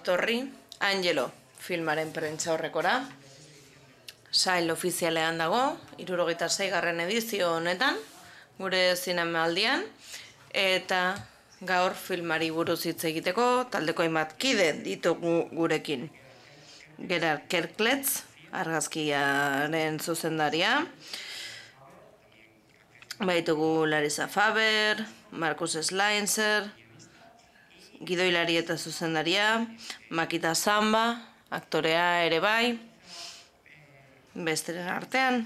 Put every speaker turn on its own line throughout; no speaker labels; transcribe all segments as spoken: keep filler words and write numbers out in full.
etorri Angelo filmaren prentsa horrekora. Sail ofizialean dago, hirurogeita seigarren edizio honetan, gure zinemaldian, eta gaur filmari buruz hitz egiteko taldeko hainbat kide ditugu gurekin. Gerard Kerkletz, argazkiaren zuzendaria, baitugu Larissa Faber, Markus Schleinzer, gidoilari eta zuzendaria, Makita Samba, aktorea ere bai, besteren artean.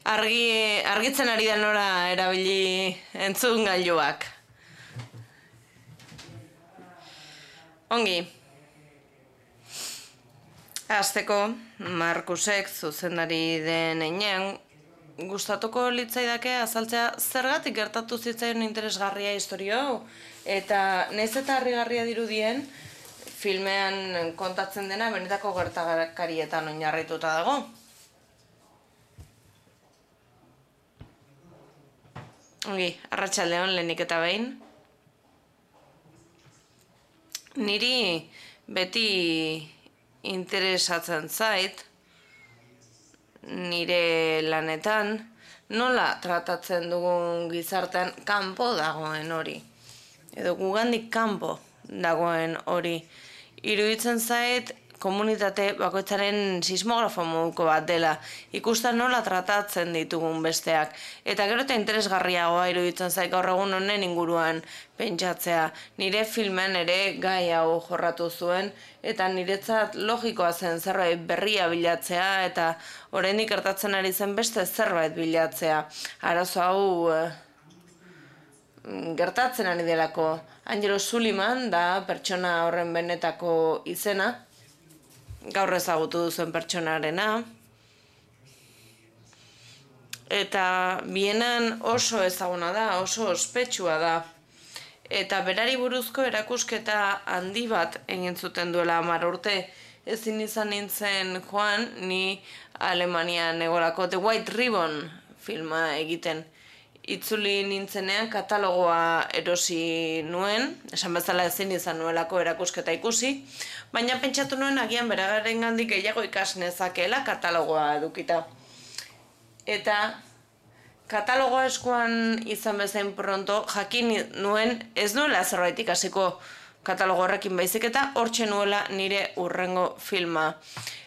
Argi, argitzen ari da nora erabili entzun gailuak. Ongi. Hasteko, Markusek zuzendari den heinean, gustatuko litzaidake azaltzea zergatik gertatu zitzaion interesgarria istorio hau, eta nahiz eta harrigarria dirudien, filmean kontatzen dena benetako gertakarietan oinarrituta dago. Ongi, arratsaldeon lehenik eta behin. Niri beti interesatzen zait, nire lanetan, nola tratatzen dugun gizartean kanpo dagoen hori. Edo gugandik kanpo dagoen hori. Iruditzen zait komunitate bakoitzaren sismografo moduko bat dela, ikusten nola tratatzen ditugun besteak. Eta gero eta interesgarriagoa iruditzen zait gaur egun honen inguruan pentsatzea. Nire filmen ere gai hau jorratu zuen, eta niretzat logikoa zen zerbait berria bilatzea, eta oraindik gertatzen ari zen beste zerbait bilatzea. Arazo hau eh, gertatzen ari delako. Angelo Sullivan da pertsona horren benetako izena, gaur ezagutu duzuen pertsonarena, eta bienan oso ezaguna da, oso ospetsua da, eta berari buruzko erakusketa handi bat egin zuten duela hamar urte. Ezin izan nintzen joan, ni Alemanian egolako The White Ribbon filma egiten. Itzuli nintzenean katalogoa erosi nuen, esan bezala ezin izan nuelako erakusketa ikusi, baina pentsatu nuen agian beragarengandik gehiago ikas nezakeela katalogoa edukita. Eta katalogoa eskuan izan bezain pronto jakin nuen ez nuela zerbait ikasiko katalogo horrekin baizik eta hortxe nuela nire hurrengo filma.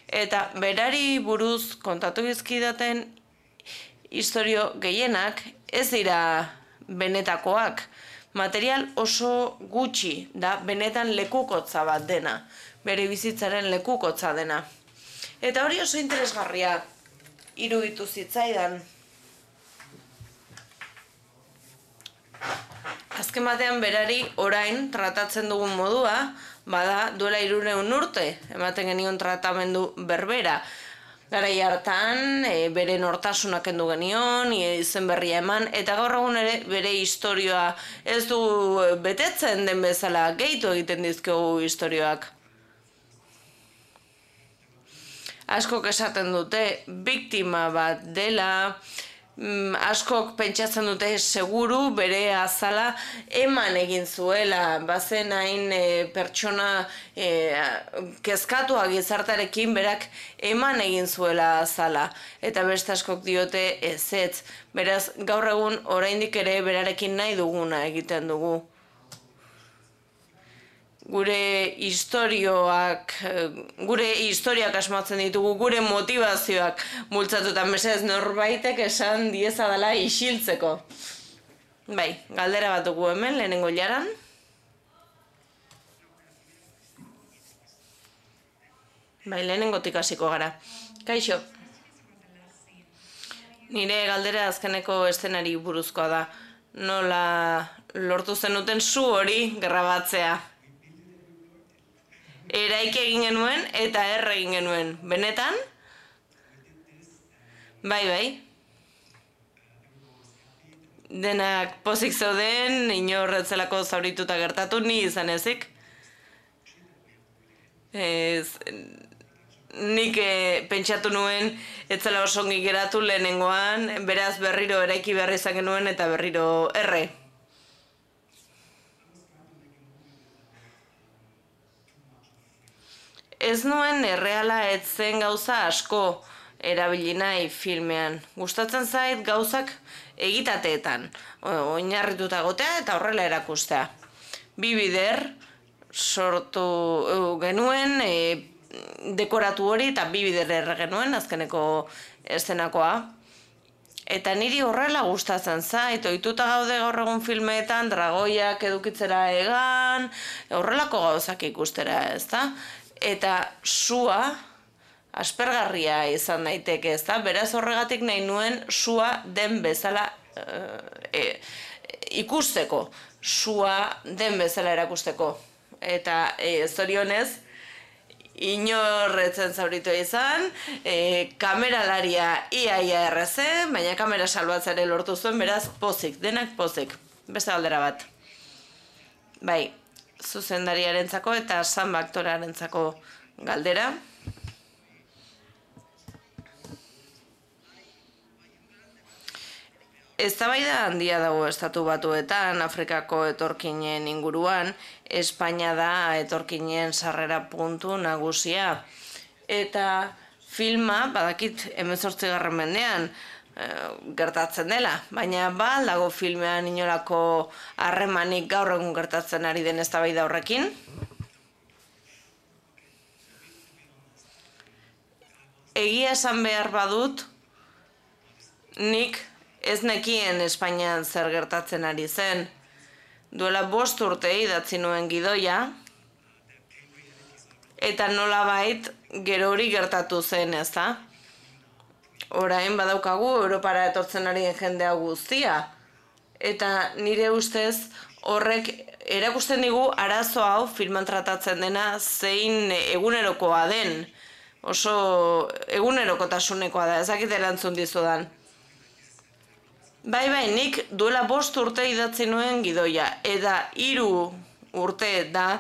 Eta berari buruz kontatu dizkidaten istorio gehienak ez dira benetakoak. Material oso gutxi da benetan lekukotza bat dena, bere bizitzaren lekukotza dena. Eta hori oso interesgarria iruditu zitzaidan. Azken batean berari orain tratatzen dugun modua, bada duela hirurehun urte, ematen genion tratamendu berbera. Garai hartan, e, bere nortasunak kendu genion, izen berria eman, eta gaur egun ere bere istorioa ez du betetzen den bezala, gehitu egiten dizkiogu istorioak. Askok esaten dute, biktima bat dela, askok pentsatzen dute seguru bere azala eman egin zuela, bazen hain e, pertsona e, kezkatua gizartarekin berak eman egin zuela azala, eta beste askok diote ezetz. Beraz, gaur egun oraindik ere berarekin nahi duguna egiten dugu. Gure istorioak, gure historiak asmatzen ditugu, gure motivazioak multzatuta, mesedez norbaitek esan dieza dela isiltzeko. Bai, galdera bat dugu hemen, lehenengo jaran. Bai, lehenengotik hasiko gara. Kaixo. Nire galdera azkeneko eszenari buruzkoa da. Nola lortu zenuten zu hori grabatzea. Eraik egin genuen eta erre egin genuen. Benetan? Bai, bai. Denak pozik zeuden, inorretzelako zaurituta gertatu, ni izan ezik. Ez, nik e, pentsatu nuen, etzela oso ongi geratu lehenengoan, beraz berriro eraiki behar izan genuen eta berriro erre. ez nuen erreala etzen gauza asko erabili nahi filmean. Gustatzen zait gauzak egitateetan, oinarrituta gotea eta horrela erakustea. Bi bider sortu genuen, dekoratu hori eta bi bider erre genuen, azkeneko eszenakoa. Eta niri horrela gustatzen zait, ohituta gaude gaur egun filmeetan, dragoiak edukitzera egan, horrelako gauzak ikustera, ezta? Eta sua aspergarria izan daiteke, ezta? Beraz horregatik nahi nuen sua den bezala e, ikusteko, sua den bezala erakusteko. Eta e, zorionez, inorretzen zauritu izan, e, kameralaria iaia errezen, baina kamera salbatzare lortu zuen, beraz pozik, denak pozik. Beste galdera bat. Bai, zuzendariarentzako eta samba aktorearentzako galdera. Eztabaida handia dago estatu batuetan, Afrikako etorkinen inguruan, Espainia da etorkinen sarrera puntu nagusia. Eta filma, badakit hemezortzigarren mendean e, gertatzen dela, baina ba dago filmean inolako harremanik gaur egun gertatzen ari den eztabaida horrekin. Egia esan behar badut, nik ez nekien Espainian zer gertatzen ari zen. Duela bost urte idatzi nuen gidoia, eta nolabait gero hori gertatu zen, ez da? Orain badaukagu Europara etortzen ari den jendea guztia. Eta nire ustez horrek erakusten digu arazo hau filman tratatzen dena zein egunerokoa den. Oso egunerokotasunekoa da, ezakit erantzun dizudan. Bai, bai, nik duela bost urte idatzi nuen gidoia, eta hiru urte da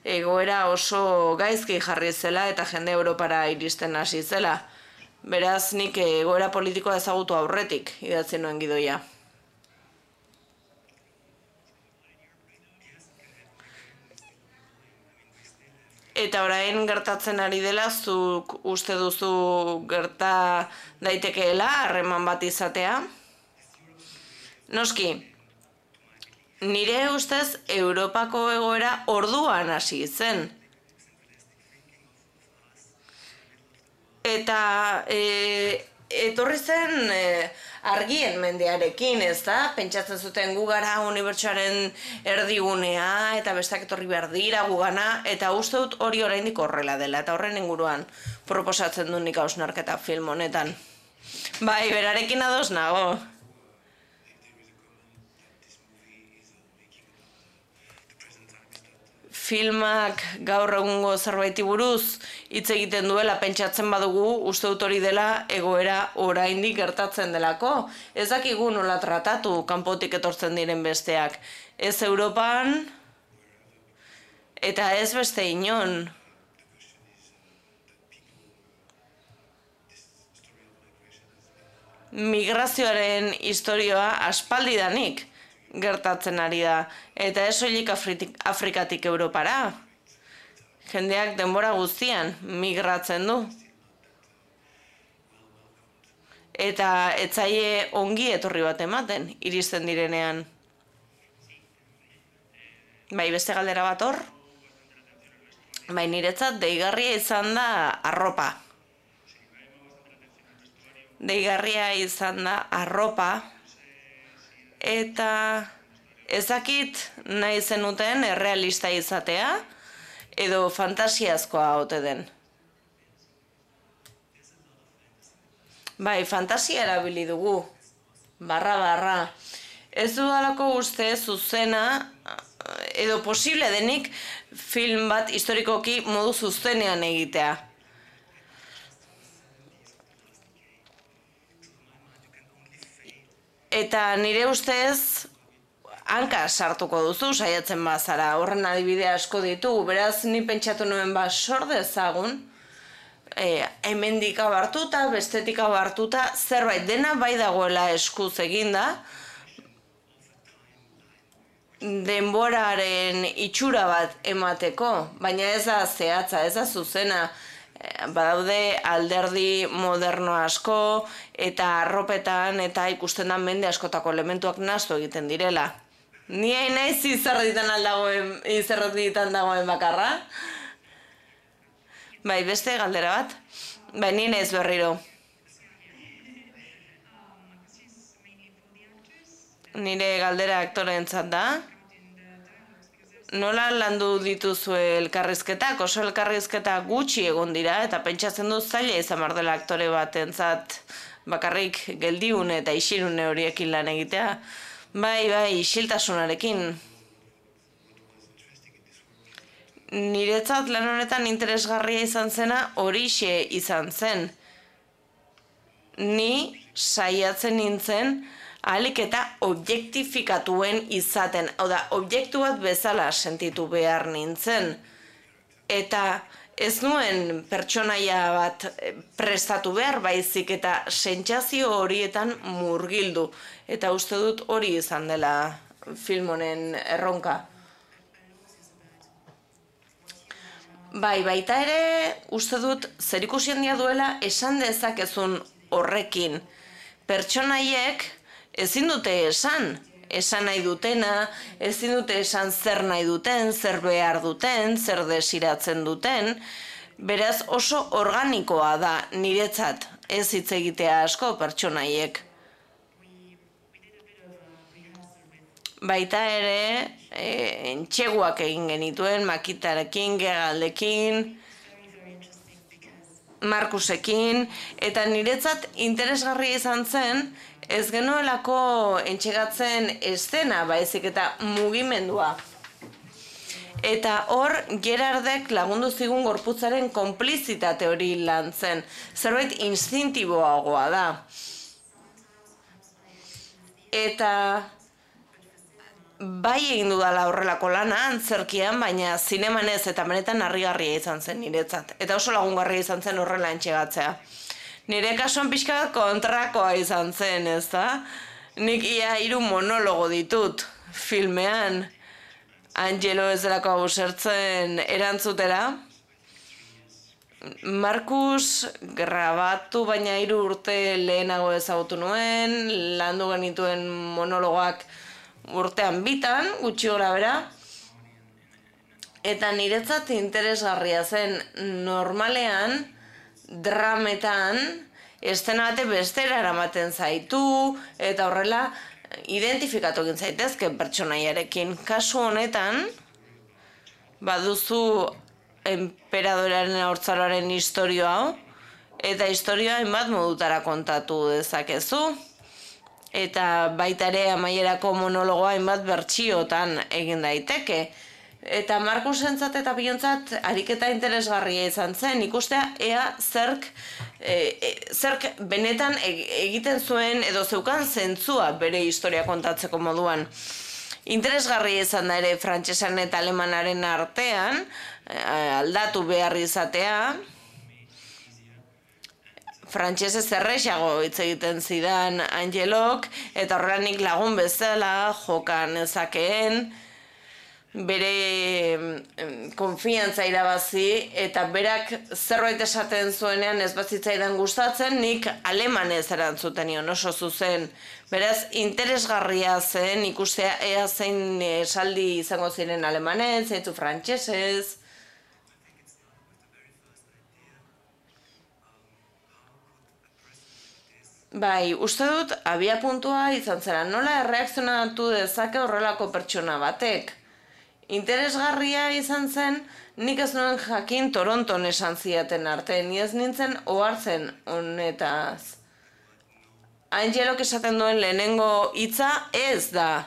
egoera oso gaizki jarri zela eta jende Europara iristen hasi zela. Beraz, nik egoera politikoa ezagutu aurretik idatzi nuen gidoia. Eta orain gertatzen ari dela, zuk uste duzu gerta daitekeela harreman bat izatea? Noski, nire ustez Europako egoera orduan hasi zen. Eta e, etorri zen e, argien mendearekin, ez da? Pentsatzen zuten gu gara unibertsoaren erdigunea eta besteak etorri behar dira gugana, eta uste dut hori oraindik horrela dela, eta horren inguruan proposatzen du nik hausnarketa film honetan. Bai, berarekin ados nago. Filmak gaur egungo zerbaiti buruz hitz egiten duela pentsatzen badugu, uste dut hori dela egoera oraindik gertatzen delako. Ez dakigu nola tratatu kanpotik etortzen diren besteak. Ez Europan eta ez beste inon. Migrazioaren historioa aspaldidanik gertatzen ari da, eta ez soilik Afrikatik Europara. Jendeak denbora guztian migratzen du. Eta etzaie ongi etorri bat ematen, iristen direnean. Bai, beste galdera bat hor? Bai, niretzat deigarria izan da arropa. Deigarria izan da arropa, eta ezakit nahi zenuten errealista izatea, edo fantasiazkoa ote den. Bai, fantasia erabili dugu, barra barra. Ez dudalako uste zuzena, edo posible denik, film bat historikoki modu zuzenean egitea. Eta nire ustez, hanka sartuko duzu, saiatzen bazara, horren adibide asko ditugu, beraz ni pentsatu nuen ba sor dezagun, e, hemendik hau hartuta, bestetik hau hartuta, zerbait dena bai dagoela eskuz eginda, denboraren itxura bat emateko, baina ez da zehatza, ez da zuzena. Badaude alderdi moderno asko eta arropetan eta ikusten da mende askotako elementuak nahastu egiten direla. Ni hain naiz izerditan aldagoen, izerditan dagoen bakarra. Bai, beste galdera bat? Bai, ni naiz berriro. Nire galdera aktoreentzat da. Nola landu dituzue elkarrizketak? Oso elkarrizketa gutxi egon dira eta pentsatzen dut zaila izan behar dela aktore batentzat bakarrik geldiune eta isilune horiekin lan egitea. Bai, bai, isiltasunarekin. Niretzat lan honetan interesgarria izan zena horixe izan zen. Ni saiatzen nintzen ahalik eta objektifikatuen izaten, hau da, objektu bat bezala sentitu behar nintzen. Eta ez nuen pertsonaia bat prestatu behar baizik eta sentsazio horietan murgildu. Eta uste dut hori izan dela film honen erronka. Bai, baita ere uste dut zerikusi handia duela esan dezakezun horrekin. Pertsonaiek ezin dute esan, esan nahi dutena, ezin dute esan zer nahi duten, zer behar duten, zer desiratzen duten, beraz oso organikoa da niretzat ez hitz egitea asko pertsonaiek. Baita ere, e, entxeguak egin genituen, Makitarekin, Gegaldekin, Markusekin, eta niretzat interesgarria izan zen, ez genuelako entxegatzen estena, baizik eta mugimendua. Eta hor, Gerardek lagundu zigun gorputzaren konplizitate hori lan zen. Zerbait instintiboagoa da. Eta bai egin dudala horrelako lana, antzerkian, baina zineman ez eta benetan harrigarria izan zen niretzat. Eta oso lagungarria izan zen horrela entxegatzea. Nire kasuan pixka bat kontrakoa izan zen, ez da? Nik ia hiru monologo ditut filmean. Angelo ez delako abusertzen erantzutera. Markus grabatu baina hiru urte lehenago ezagutu nuen, landu genituen monologoak urtean bitan, gutxi gora bera. Eta niretzat interesgarria zen normalean, drametan, estena bate bestera eramaten zaitu, eta horrela identifikatu egin zaitezke pertsonaiarekin. Kasu honetan, baduzu enperadoraren haurtzaroaren istorio hau, eta istorioa hainbat modutara kontatu dezakezu, eta baita ere amaierako monologoa hainbat bertsiotan egin daiteke. Eta Markusentzat eta Biontzat ariketa interesgarria izan zen, ikustea ea zerk, e, e, zerk benetan egiten zuen edo zeukan zentzua bere historia kontatzeko moduan. Interesgarria izan da ere frantsesan eta alemanaren artean, aldatu behar izatea, frantsesez errexago hitz egiten zidan Angelok, eta horrela nik lagun bezala jokan ezakeen, bere konfiantza irabazi eta berak zerbait esaten zuenean ez bazitzaidan gustatzen, nik alemanez erantzuten nion oso zuzen. Beraz, interesgarria zen ikustea ea zein esaldi izango ziren alemanez, zeitzu frantsesez. Bai, uste dut abia puntua izan zera, nola erreakzionatu dezake horrelako pertsona batek. Interesgarria izan zen, nik ez nuen jakin Toronton esan ziaten arte, ni ez nintzen ohartzen honetaz. Angelok esaten duen lehenengo hitza ez da.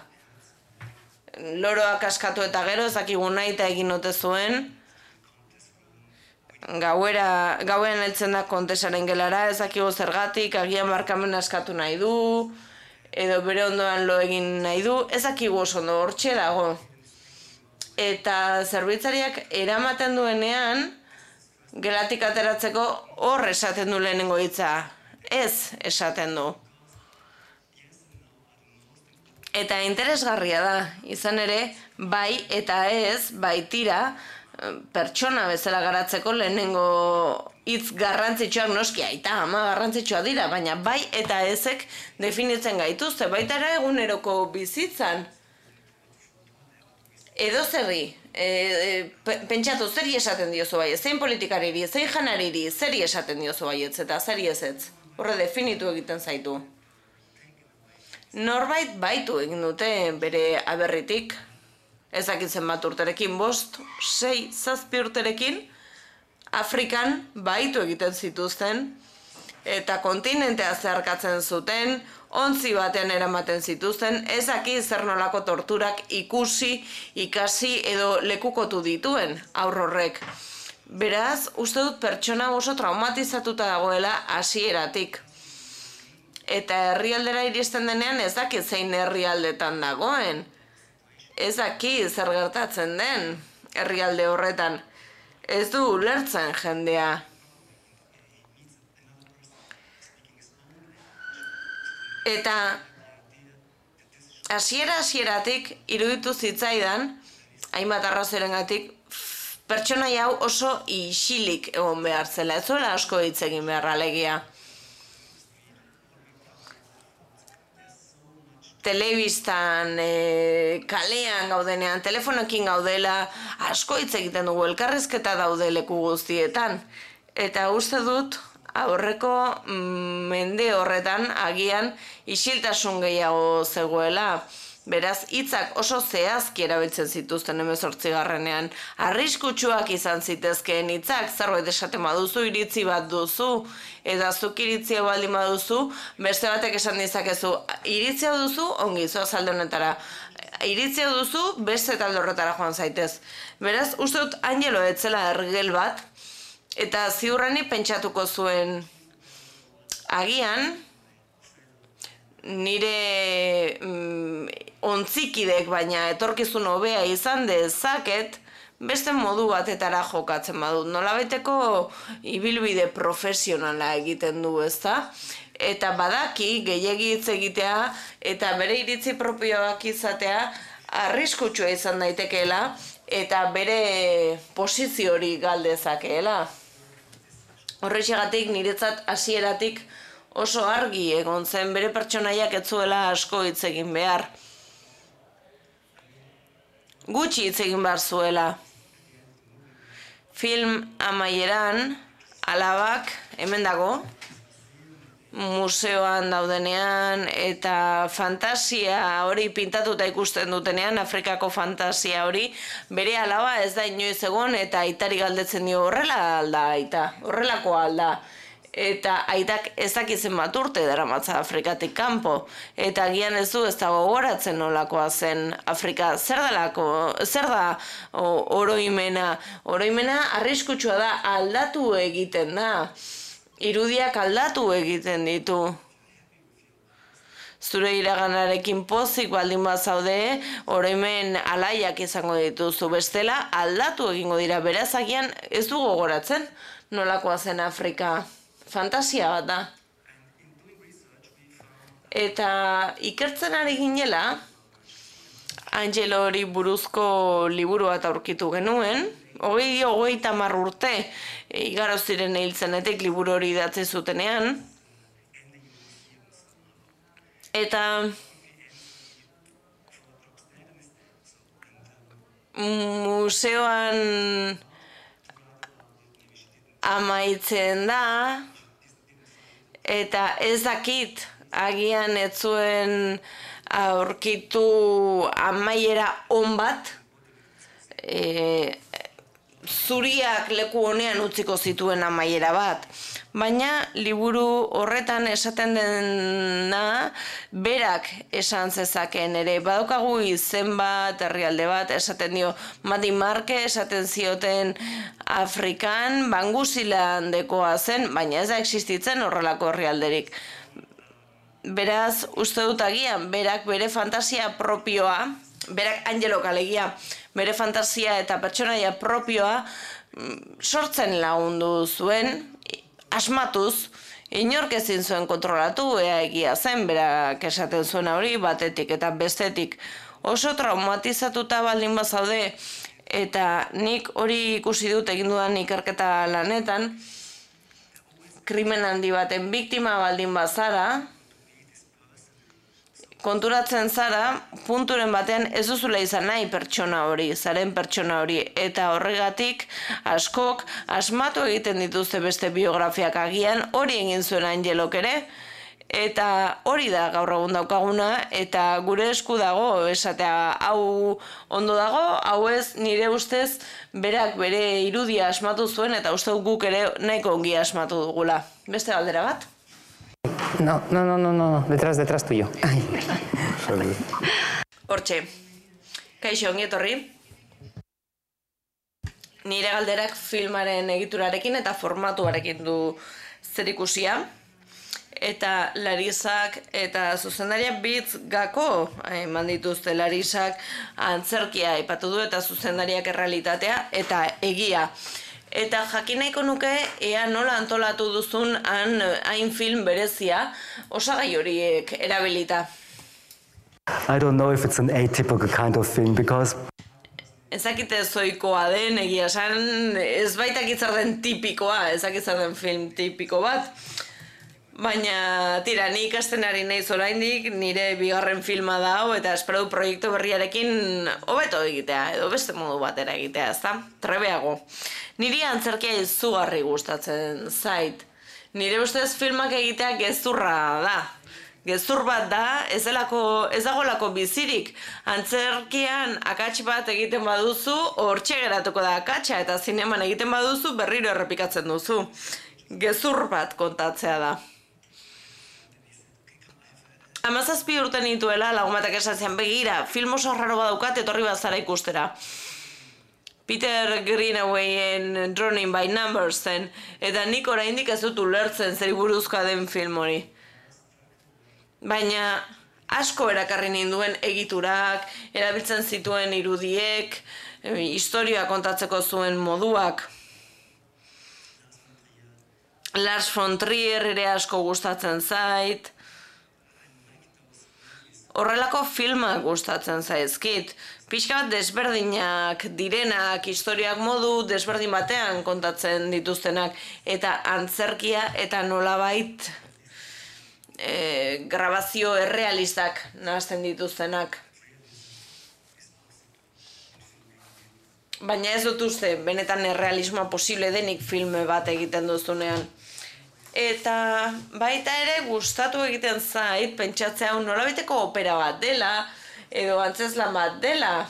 Loroak askatu eta gero ez dakigu nahi eta egin ote zuen. Gauera, gauean heltzen da kontesaren gelara, ez dakigu zergatik, agian barkamen askatu nahi du, edo bere ondoan lo egin nahi du, ez dakigu oso ondo hortxe dago. Eta zerbitzariak eramaten duenean, gelatik ateratzeko hor esaten du lehenengo hitza. Ez esaten du. Eta interesgarria da, izan ere, bai eta ez, baitira, pertsona bezala garatzeko lehenengo hitz garrantzitsuak noski aita ama garrantzitsua dira, baina bai eta ezek definitzen gaituzte, baita ere eguneroko bizitzan. Edo zerri, e, e, pentsatu zeri esaten diozu bai, zein politikariri, zein janariri, zeri esaten diozu baietz eta zeri ezetz. Horre definitu egiten zaitu. Norbait baitu egin dute bere aberritik, ezakitzen bat urterekin, bost, sei, zazpi urterekin, Afrikan baitu egiten zituzten, eta kontinentea zeharkatzen zuten, ontzi batean eramaten zituzten, ezaki zer nolako torturak ikusi, ikasi edo lekukotu dituen aurrorrek. Beraz, uste dut pertsona oso traumatizatuta dagoela hasieratik. Eta herrialdera iristen denean ez dakit zein herrialdetan dagoen. Ez dakit zer gertatzen den herrialde horretan. Ez du ulertzen jendea. Eta hasiera hasieratik iruditu zitzaidan, hainbat arrazoirengatik, pertsonaia hau oso isilik egon behar zela. Ez zuela asko hitz egin behar alegia. Telebistan, e, kalean gaudenean, telefonokin gaudela, asko hitz egiten dugu, elkarrizketa daude leku guztietan. Eta uste dut, aurreko mm, mende horretan agian isiltasun gehiago zegoela. Beraz, hitzak oso zehazki erabiltzen zituzten hemezortzigarrenean. Arriskutsuak izan zitezkeen hitzak, zerbait esaten baduzu, iritzi bat duzu, eta zuk iritzia baldin baduzu, beste batek esan dizakezu, iritzia duzu, ongi, zoaz alde honetara. Iritzia duzu, beste talde horretara joan zaitez. Beraz, uste dut Angelo etzela ergel bat, eta ziurrani pentsatuko zuen agian, nire mm, ontzikidek baina etorkizun hobea izan dezaket, beste modu batetara jokatzen badut. Nolabaiteko ibilbide profesionala egiten du, ezta? Eta badaki gehiegi hitz egitea eta bere iritzi propioak izatea arriskutsua izan daitekeela eta bere posizio hori galdezakeela. Horrexegatik niretzat hasieratik oso argi egon zen bere pertsonaiak ez zuela asko hitz egin behar. Gutxi hitz egin behar zuela. Film amaieran, alabak, hemen dago, museoan daudenean, eta fantasia hori pintatuta ikusten dutenean, Afrikako fantasia hori, bere alaba ez da inoiz egon, eta aitari galdetzen dio horrela alda, aita, horrelako alda. Eta aitak ezakizen bat urte daramatza Afrikatik kanpo. Eta agian ez du ez da gogoratzen nolakoa zen Afrika. Zer dalako, zer da oroimena? Oroimena arriskutsua da, aldatu egiten da. Irudiak aldatu egiten ditu. Zure iraganarekin pozik baldin bazaude, oroimen alaiak izango dituzu. Bestela aldatu egingo dira. Beraz agian ez du gogoratzen nolakoa zen Afrika. Fantasia bat da. Eta ikertzen ari ginela, Angelo hori buruzko liburu bat aurkitu genuen, hogei hogeita hamar urte igaro ziren hil zenetik liburu hori idatzi zutenean. Eta museoan amaitzen da, eta ez dakit agian ez zuen aurkitu amaiera on bat, e, zuriak leku honean utziko zituen amaiera bat. Baina liburu horretan esaten dena berak esan zezakeen ere. Badaukagu izen bat, herrialde bat, esaten dio Madi Marke, esaten zioten Afrikan, Banguzilandekoa zen, baina ez da existitzen horrelako herrialderik. Beraz, uste dut agian, berak bere fantasia propioa, berak Angelo alegia, bere fantasia eta pertsonaia propioa sortzen lagundu zuen, asmatuz, Inork ezin zuen kontrolatu, ea egia zen, berak esaten zuen hori, batetik eta bestetik oso traumatizatuta baldin bazaude, eta nik hori ikusi dut egin dudan ikerketa lanetan, krimen handi baten biktima baldin bazara, konturatzen zara, punturen batean ez duzula izan nahi pertsona hori, zaren pertsona hori, eta horregatik askok asmatu egiten dituzte beste biografiak agian, hori egin zuen Angelok ere, eta hori da gaur egun daukaguna, eta gure esku dago, esatea hau ondo dago, hau ez nire ustez berak bere irudia asmatu zuen, eta uste guk ere nahiko ongi asmatu dugula. Beste galdera bat?
No, no, no, no, no, detrás, detrás tuyo.
Hortxe, kaixo ongi etorri. Nire galderak filmaren egiturarekin eta formatuarekin du zerikusia. Eta Larisak eta zuzendaria bitz gako eman dituzte. Larisak antzerkia aipatu du eta zuzendariak errealitatea eta egia. Eta jakin nahiko nuke ea nola antolatu duzun han hain film berezia osagai horiek erabilita.
I don't know if it's an atypical kind of film because
Ezakite zoikoa den, egia esan, ez baitak izar den tipikoa, ezak izar den film tipiko bat. Baina, tira, ni ikasten ari naiz oraindik, nire bigarren filma da hau, eta espero du proiektu berriarekin hobeto egitea, edo beste modu batera egitea, ezta? Trebeago. Niri antzerkia izugarri gustatzen zait. Nire ustez filmak egitea gezurra da. Gezur bat da, ez delako, ez dagolako bizirik. Antzerkian akats bat egiten baduzu, hortxe geratuko da akatsa, eta zineman egiten baduzu, berriro errepikatzen duzu. Gezur bat kontatzea da. Hamazazpi urte nituela, lagun batak esan zian, begira, film oso raro badaukat, etorri bazara ikustera. Peter Greenawayen Drowning by Numbers zen, eta nik oraindik ez dut ulertzen zer buruzkoa den film hori. Baina asko erakarri ninduen egiturak, erabiltzen zituen irudiek, historia kontatzeko zuen moduak. Lars von Trier ere asko gustatzen zait. Horrelako filmak gustatzen zaizkit. Pixka bat desberdinak direnak, historiak modu desberdin batean kontatzen dituztenak. Eta antzerkia eta nolabait e, grabazio errealistak nahazten dituztenak. Baina ez dut uste, benetan errealismoa posible denik filme bat egiten duzunean. Eta baita ere gustatu egiten zait, pentsatzea hau nolabiteko opera bat dela, edo antzeslan bat dela.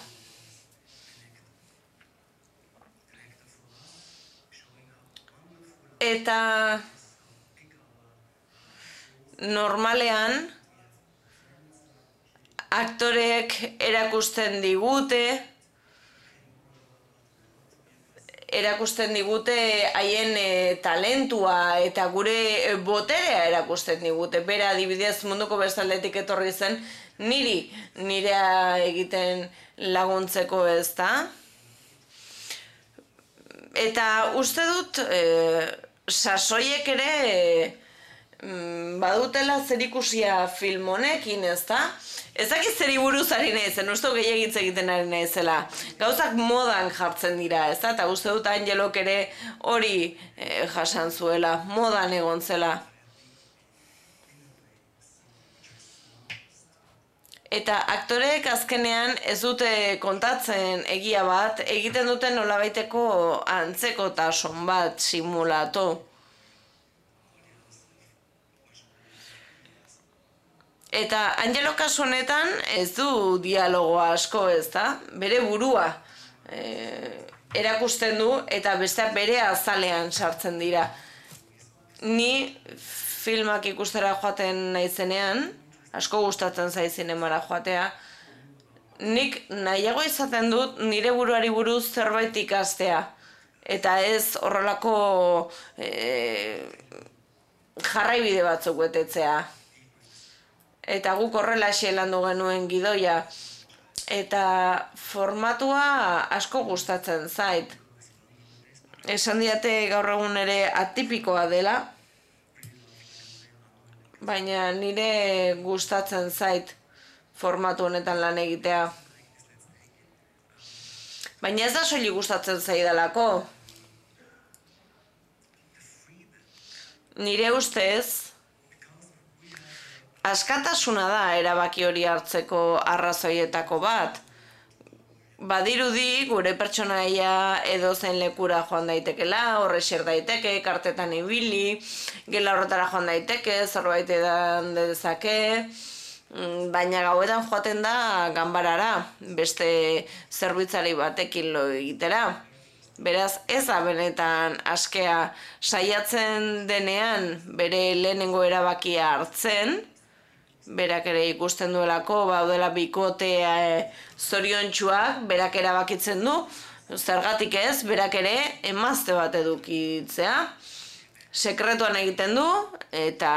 Eta normalean aktoreek erakusten digute, erakusten digute haien e, talentua eta gure boterea erakusten digute. Bera adibidez munduko bestaldetik etorri zen niri nirea egiten laguntzeko, ez da? Eta uste dut e, sasoiek ere e, badutela zerikusia film honekin, ez da? Ez dakit zeri buruz ari naizen, uste gehiagitz egiten ari naizela. Gauzak modan jartzen dira, ez da? Eta uste dut Angelok ere hori e, jasan zuela, modan egon zela. Eta aktoreek azkenean ez dute kontatzen egia bat, egiten duten nolabaiteko antzekotasun bat simulatu. Eta Angelo kasu honetan ez du dialogo asko, ez da? Bere burua e, erakusten du eta besteak bere azalean sartzen dira. Ni filmak ikustera joaten naizenean, asko gustatzen zait zinemara joatea, nik nahiago izaten dut nire buruari buruz zerbait ikastea. Eta ez horrelako e, jarraibide batzuk betetzea. Eta guk horrela landu genuen gidoia. Eta formatua asko gustatzen zait. Esan diate gaur egun ere atipikoa dela. baina nire gustatzen zait formatu honetan lan egitea. Baina ez da soilik gustatzen zaidalako. Nire ustez, askatasuna da erabaki hori hartzeko arrazoietako bat. Badirudi gure pertsonaia edozein lekura joan daitekela, horre xer daiteke, kartetan ibili, gela horretara joan daiteke, zerbait edan dezake, baina gauetan joaten da ganbarara, beste zerbitzari batekin lo egitera. Beraz, ez da benetan askea saiatzen denean bere lehenengo erabakia hartzen, berak ere ikusten duelako, baudela bikotea e, zoriontsuak, berak erabakitzen du, zergatik ez, berak ere emazte bat edukitzea, sekretuan egiten du, eta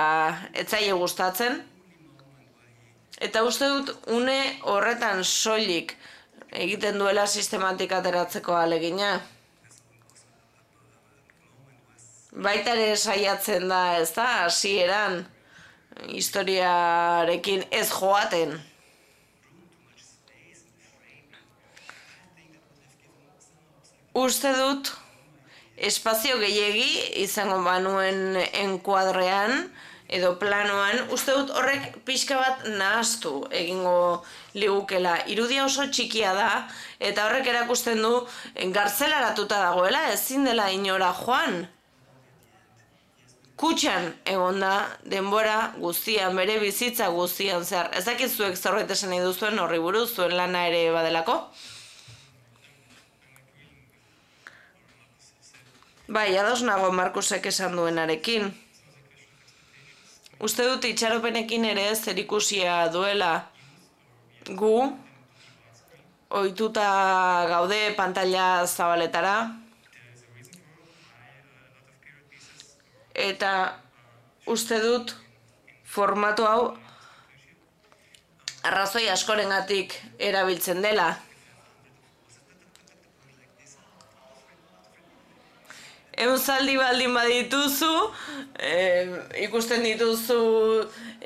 ez zaie gustatzen. Eta uste dut, une horretan soilik egiten duela sistematik ateratzeko ahalegina. Baita ere saiatzen da, ez da, hasieran, historiarekin ez joaten. Uste dut, espazio gehiegi izango banuen enkuadrean, edo planoan, uste dut horrek pixka bat nahaztu egingo ligukela. Irudia oso txikia da, eta horrek erakusten du gartzelaratuta dagoela, ezin dela inora joan. Kutxan egon da denbora guztian, bere bizitza guztian zer. Ez dakit zuek zerbait esan nahi duzuen horri buruz, zuen lana ere badelako. Bai, ados nago Markusek esan duenarekin. Uste dut itxaropenekin ere zerikusia duela gu, ohituta gaude pantalla zabaletara, eta uste dut formatu hau arrazoi askorengatik erabiltzen dela. Eunzaldi baldin badituzu, eh, ikusten dituzu,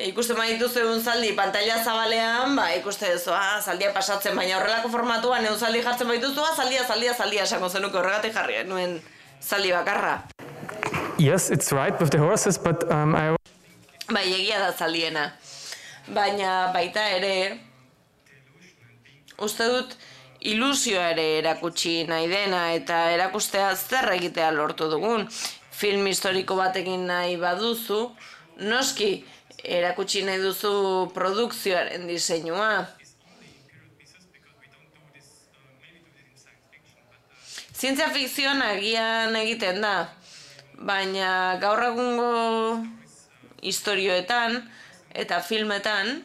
ikusten badituzu eunzaldi pantalla zabalean, ba, ikusten duzu, ah, zaldia pasatzen, baina horrelako formatuan eunzaldi jartzen badituzu, ah, zaldia, zaldia, zaldia, esango zenuke horregatik jarri nuen zaldi bakarra.
Yes, it's right with the horses, but um, I...
Bai, egia da zaldiena. Baina baita ere, uste dut, ilusioa ere erakutsi nahi dena eta erakustea zer egitea lortu dugun. Film historiko batekin nahi baduzu, noski erakutsi nahi duzu produkzioaren diseinua. Zientzia fikzioan agian egiten da, baina gaur egungo istorioetan eta filmetan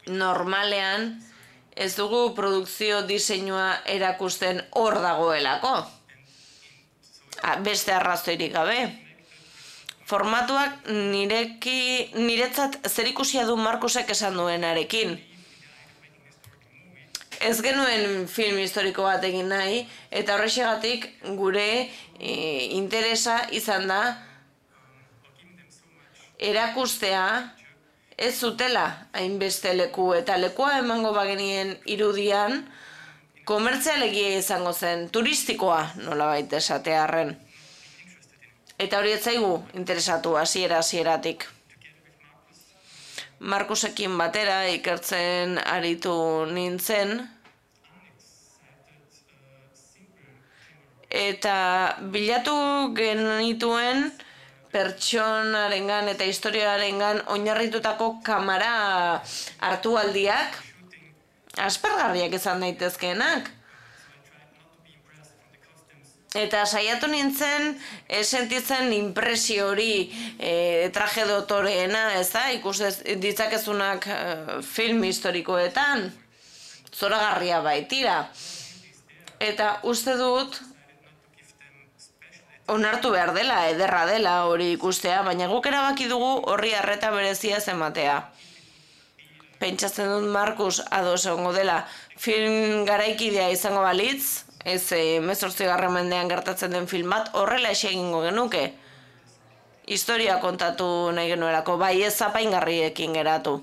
normalean ez dugu produkzio diseinua erakusten hor dagoelako. Beste arrazoirik gabe. Formatuak nireki, niretzat zerikusia du Markusek esan duenarekin. Ez genuen film historiko bat egin nahi, eta horrexegatik gure e, interesa izan da erakustea ez zutela hainbeste leku, eta lekua emango bagenien irudian komertzialegia izango zen, turistikoa nolabait esatearren. Eta hori ez zaigu interesatu hasiera hasieratik. Markusekin batera ikertzen aritu nintzen, eta bilatu genituen pertsonarengan eta historiarengan oinarritutako kamera hartualdiak aspergarriak izan daitezkeenak. Eta saiatu nintzen sentitzen inpresio hori e, traje dotoreena, ez da, ikus ditzakezunak e, film historikoetan, zoragarria baitira. Eta uste dut onartu behar dela, ederra dela hori ikustea, baina guk erabaki dugu horri arreta berezia ez ematea. Pentsatzen dut Markus ados egongo dela film garaikidea izango balitz, ez hemezortzigarren mendean gertatzen den film bat, horrela egingo genuke. historia kontatu nahi genuelako, bai ez apaingarriekin geratu.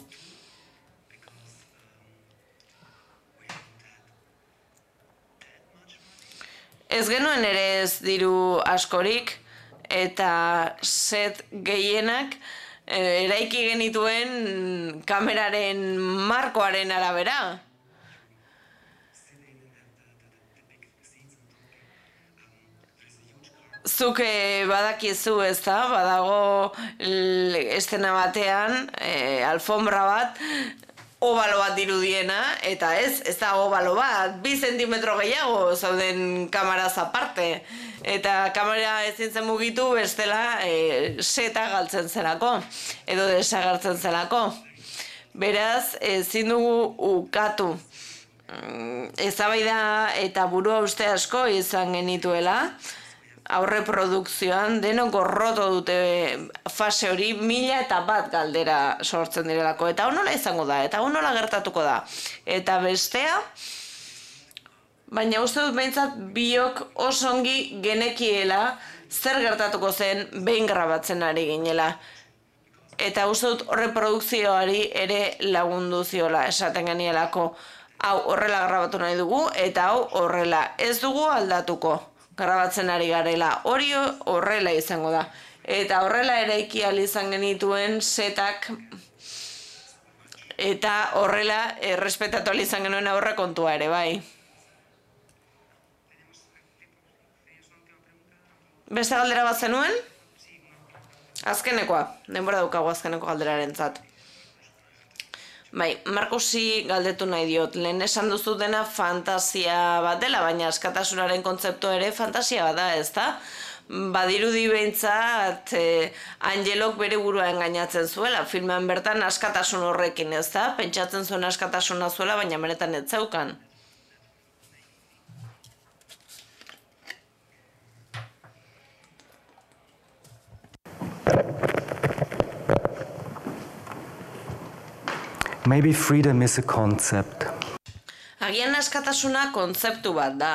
Ez genuen ere ez diru askorik, eta set gehienak eraiki genituen kameraren markoaren arabera. Zuk badakizu ez da, badago estena batean, alfombra bat, obalo bat dirudiena, eta ez, ez da obalo bat, bi zentimetro gehiago zauden kamaraz aparte. Eta kamera ezin zen mugitu bestela seta galtzen zelako, edo desagertzen zelako. Beraz, ezin dugu ukatu. Eztabaida eta burua uste asko izan genituela, aurre produkzioan denok gorroto dute fase hori mila eta bat galdera sortzen direlako. Eta hau nola izango da, eta hau nola gertatuko da. Eta bestea, baina uste dut behintzat biok oso ongi genekiela zer gertatuko zen behin grabatzen ari ginela. Eta uste dut horre produkzioari ere lagundu ziola esaten genielako. Hau horrela grabatu nahi dugu eta hau horrela ez dugu aldatuko. Grabatzen ari garela, hori horrela izango da. Eta horrela eraiki ahal izan genituen setak eta horrela errespetatu ahal izan genuen aurre kontua ere, bai. Beste galdera bat zenuen? Azkenekoa, denbora daukagu azkeneko galderaren zat. Bai, Markusi galdetu nahi diot, lehen esan duzu dena fantasia bat dela, baina askatasunaren kontzeptu ere fantasia bat da, ez da? Badirudi behintzat Angelok bere burua engainatzen zuela, filmean bertan askatasun horrekin, ez da? Pentsatzen zuen askatasuna zuela, baina benetan ez zeukan.
Maybe freedom is a concept.
Agian askatasuna kontzeptu bat da.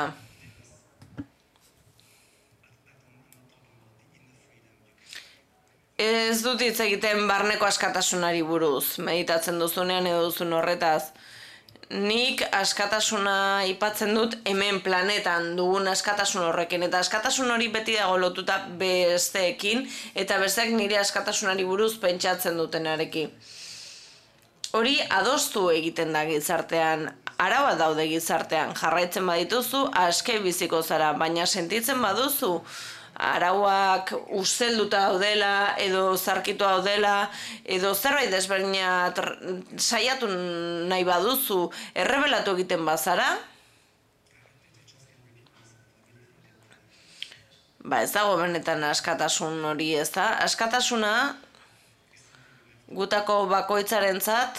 Ez dut hitz egiten barneko askatasunari buruz, meditatzen duzunean edo duzun horretaz. Nik askatasuna aipatzen dut hemen planetan dugun askatasun horrekin, eta askatasun hori beti dago lotuta besteekin, eta besteak nire askatasunari buruz pentsatzen dutenarekin. Hori adostu egiten da gizartean, arauak daude gizartean, jarraitzen badituzu aske biziko zara, baina sentitzen baduzu arauak ustelduta daudela, edo zarkitu daudela, edo zerbait desberdina saiatu nahi baduzu, errebelatu egiten bazara, ba ez dago benetan askatasun hori, ez da? Askatasuna gutako bakoitzarentzat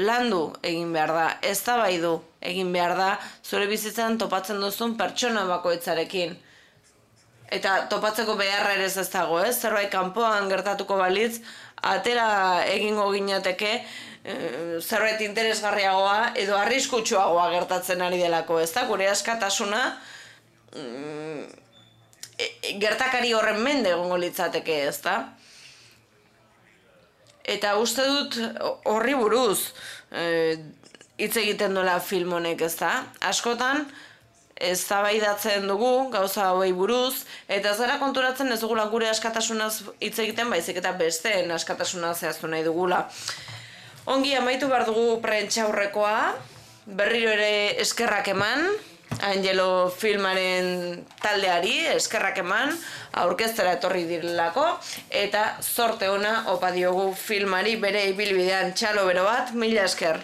landu egin behar da, eztabaidu egin behar da, zure bizitzan topatzen duzun pertsona bakoitzarekin. Eta topatzeko beharra ere ez dago, ez? Zerbait kanpoan gertatuko balitz, atera egingo ginateke zerbait interesgarriagoa edo arriskutsuagoa gertatzen ari delako, ez da? Gure askatasuna gertakari horren mende egongo litzateke, ez da? Eta uste dut horri buruz hitz egiten duela film honek, ez da? Askotan, eztabaidatzen dugu gauza hauei buruz, eta ez gara konturatzen ez dugula gure askatasunaz hitz egiten, baizik eta besteen askatasuna zehaztu nahi dugula. Ongi amaitu behar dugu prentsaurrekoa, berriro ere eskerrak eman, Angelo filmaren taldeari eskerrak eman, aurkeztera etorri direlako, eta zorte ona opa diogu filmari bere ibilbidean txalo bero bat, mila esker.